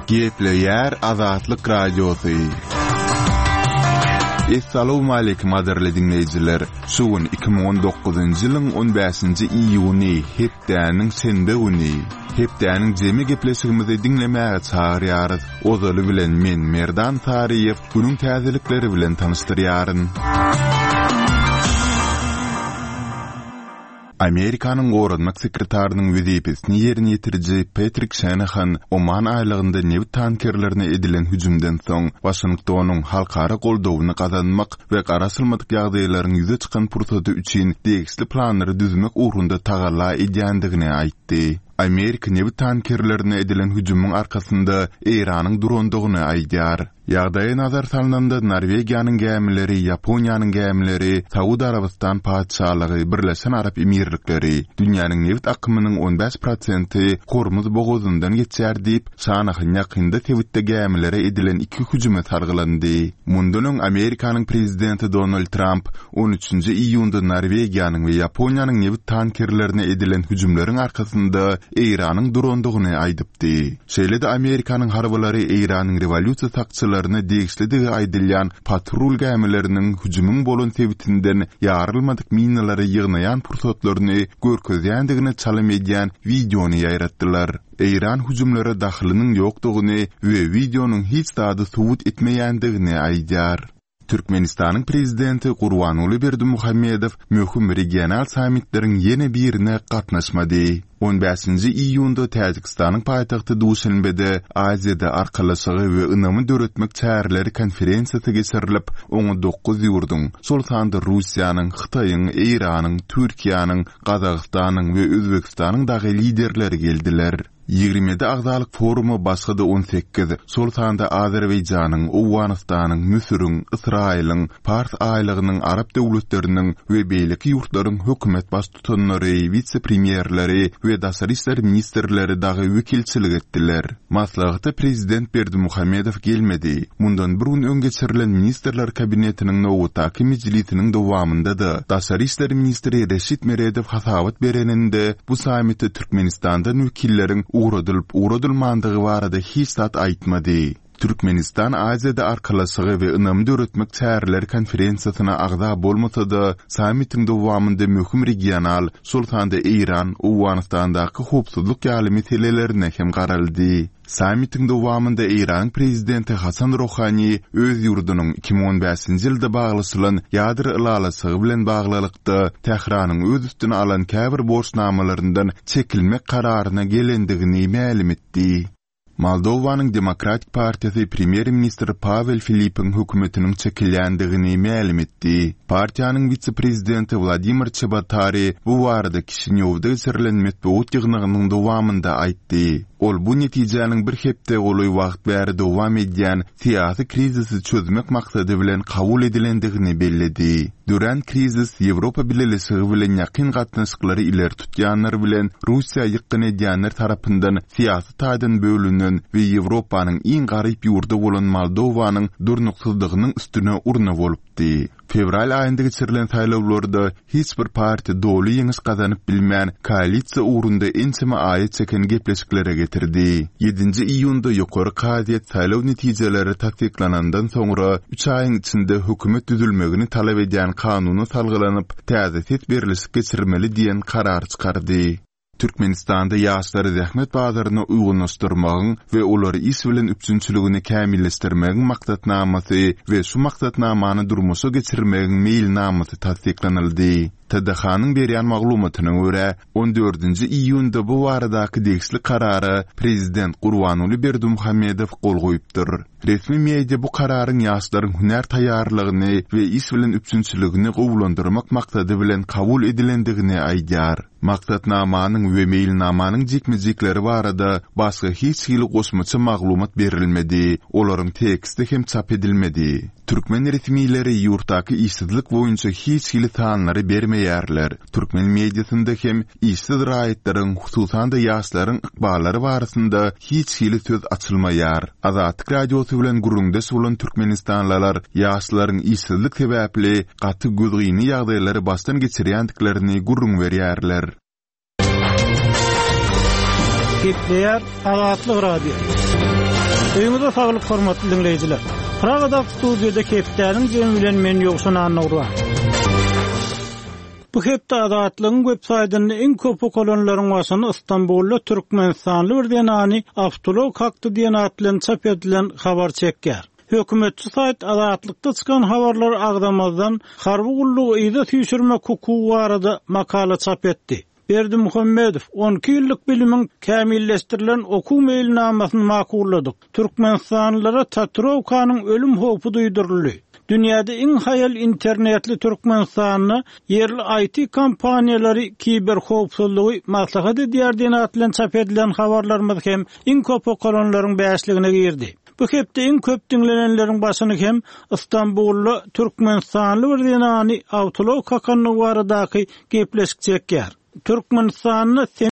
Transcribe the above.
Gepleýär Azatlyk Radiosy. Essalawmaleýkim gadyrly diňleýjiler! Şu gün 2019-njy ýylyň 15-nji iýuny, hepdäniň şenbe güni. Hepdäniň jemi gepleşigimizi diňlemäge çagyrýarys. Ozaly bilen men Merdan Saryýew günüň täzelikleri bilen tanyşdyrýaryn. Amerikanyň goranmak sekretarynyň wezipesini ýerine ýetiriji Petrik Şenahan Oman aýlagynda nebit tankerlerine edilen hüjümden soň Waşingtonyň halkara goldawyny gazanmak we garaşylmadyk ýagdaýlaryň ýüze çykan pursady üçin degişli planlary düzmek ugrunda tagalla edýändigini aýtdy. Amerika nebit tankerlerine edilen hüjümiň arkasynda Eýranyň durandygyny aýdýar. Ýagdaýa nazar salnanda, Norwegiýanyň gämileri, Ýaponiýanyň gämileri, Saud Arabystan Patyşalygy, Birleşen Arap Emirlikleri, dünýäniň nebit akymynyň 15 prosenti Hormuz bogazyndan geçýär diýip, Şanahan ýakynda sebitde gämilere edilen iki hüjüme salgylandy. Mundan öň Amerikanyň prezidenti Donald Tramp on üçünji iýunda Norwegiýanyň we Ýaponiýanyň nebit tankerlerine edilen hüjümleriň arkasynda Eýranyň durandygyny aýdypdy. Şeýle-de Amerikanyň harbylary Eýranyň rewolýusiýa sakçylaryna degişlidigi aýdylýan patrul gämileriniň hüjümiň bolan sebitinden ýarylmadyk minalary ýygnaýan pursatlaryny görkezýändigine çalym edýän wideony ýaýratdylar. Eýran hüjümlere dahylynyň ýokdugyny we wideonyň hiç zady subut etmeýändigini aýdýar. Türkmenistanyň Prezidenti Gurbanguly Berdimuhamedow möhüm regional sammitleriň ýene birine gatnaşmady. On bäşinji iýunda Täjigistanyň paýtagty Duşenbede Aziýada arkalaşygy we ynamy döretmek çäreleri konferensiýasy geçirilip, oňa dokuz ýurduň, şol sanda Russiýanyň, Hytaýyň, Eýranyň, Türkiýäniň, Gazagystanyň we Özbegistanyň dagy liderleri geldiler. 27 agzalyk foruma başga-da 18, şol sanda Azerbaýjanyň, Owganystanyň, Müsüriň, Ysraýylyň, Pars aýlagynyň arap döwletleriniň we beýleki ýurtlaryň hökümet baştutanlary, wise-premýerleri we daşary işler ministrleri dagy wekilçilik etdiler. Maslahata prezident Berdimuhamedow gelmedi. Mundan bir gün öň geçirilen Ministrler Kabinetiniň nobatdaky mejlisiniň dowamynda-da daşary işler ministri Reşit Meredow hasabat bereninde bu sammite Türkmenistandan wekilleriň ugradylyp-ugradylmandygy barada hiç zat aýtmady. Türkmenistan Aziýada arkalaşygy we ynamy döretmek çäreleri konferensiýasyna agza bolmasa-da, sammitiň dowamynda möhüm regional, şol sanda Eýran, Owganystandaky howpsuzlyk ýaly meselelerine hem garaldy. Sammitiň dowamynda Eýranyň prezidenti Hasan Rohani öz ýurdunyň 2015-nji ýylda baglaşylan ýadro ylalaşygy bilen baglylykda Tähranyň öz üstüne alan käbir borçnamalaryndan çekilmek kararyna gelendigini mälim etdi. Moldowanyň Demokratik partiýasy premýer-ministr Pawel Filipiň hökümetiniň çekilýändigini mälim etdi. Partiýanyň wise-prezidenti Wladimir Çebotari bu barada Kişinýowda geçirilen metbugat ýygnagynyň dowamynda aýtdy. Ol bu netijäniň bir hepde golaý wagt bäri dowam edýän syýasy krizisi çözmek maksady bilen kabul edilendigini belledi. Dörän krizis Ýewropa Bileleşigi bilen ýakyn gatnaşyklary ileri tutýanlar bilen Russiýa ýykgyn edýänler tarapyndan syýasy taýdan bölünen we Ýewropanyň iň garyp ýurdy bolan Moldowanyň durnuksyzlygynyň üstüne urna bolupdy. Fewral aýynda geçirilen saýlawlarda hiç bir partiýa doly ýeňiş gazanyp bilmän, koalisiýa ugrunda ençeme aýa çeken gepleşiklere getirdi. Ýedinji iýunda Ýokary kazyýet saýlaw netijeleri tassyklanandan soňra üç aýyň içinde hökümet düzülmegini talap edýän kanuna salgylanyp, täze ses berlişik geçirmeli diýen karar çykardy. Türkmenistanda ýaşlary zähmet bazaryna uýgunlaşdyrmagyň we olary iş bilen üpjünçiligini kämilleşdirmegiň maksatnamasy we şu maksatnamany durmuşa geçirmegiň meýilnamasy tassyklanyldy. TDH-nyň berýän maglumatyna görä, on dördünji iýunda bu baradaky degişli karara prezident Gurbanguly Berdimuhamedow gol goýupdyr. Resmi media bu kararyň ýaşlaryň hünär taýýarlygyny we iş bilen üpjünçiligini gowulandyrmak maksady bilen kabul edilendigini aýdýar. Maksatnamanyň we meýilnamanyň jikme-jikleri barada başga hiç hili goşmaça maglumat berilmedi, olaryň teksti hem çap edilmedi. Türkmen resmileri ýurtdaky işsizlik boýunça hiç hili sanlary bermeýärler. Türkmen mediasynda hem işsiz raýatlaryň, hususan-da ýaşlaryň ykballary barasynda hiç hili söz açylmaýar. Azatlyk Radiosy bilen gürrüňdeş bolan türkmenistanlylar ýaşlaryň işsizlik sebäpli gaty gözgyny ýagdaýlary başdan geçirýändiklerini gürrüň berýärler. Gepleýär Azatlyk Radiosy. Öýüňize saglyk hormatly diňleýjiler. Pragadaky studiýada hepdäniň jemi bilen men Ýowşan Annagurban. Bu hepde Azatlygyň web saýtynda iň köp okalanlaryň başyny Istanbulda türkmenistanly bir zenany awtoulag kakdy diýen at bilen çap edilen habar çekýär. Hökümetçi saýt Azatlykda çykan habarlary agzamazdan, harby gullugy yza süýşürmek hukugy barada makala çap etdi. Berdimuhamedow, 12 ýyllyk bilimiň kämilleşdirilen okuw meýilnamasyny makulladyk. Türkmenistanlylara tatuirowkanyň ölüm howpy duýduryldy. Dünýäde iň haýal internetli Türkmenistanda ýerli IT kompaniýalary kiberhowpsuzlygy maslahat edýär diýen at bilen çap edilen habarlarymyz hem iň köp okalanlaryň bäşligine girdi. Bu hepde iň köp diňlenenleriň başyny hem Stambulda türkmenistanly bir zenany awtoulag kakandygy baradaky gepleşik çekýär. Türkmenistanda.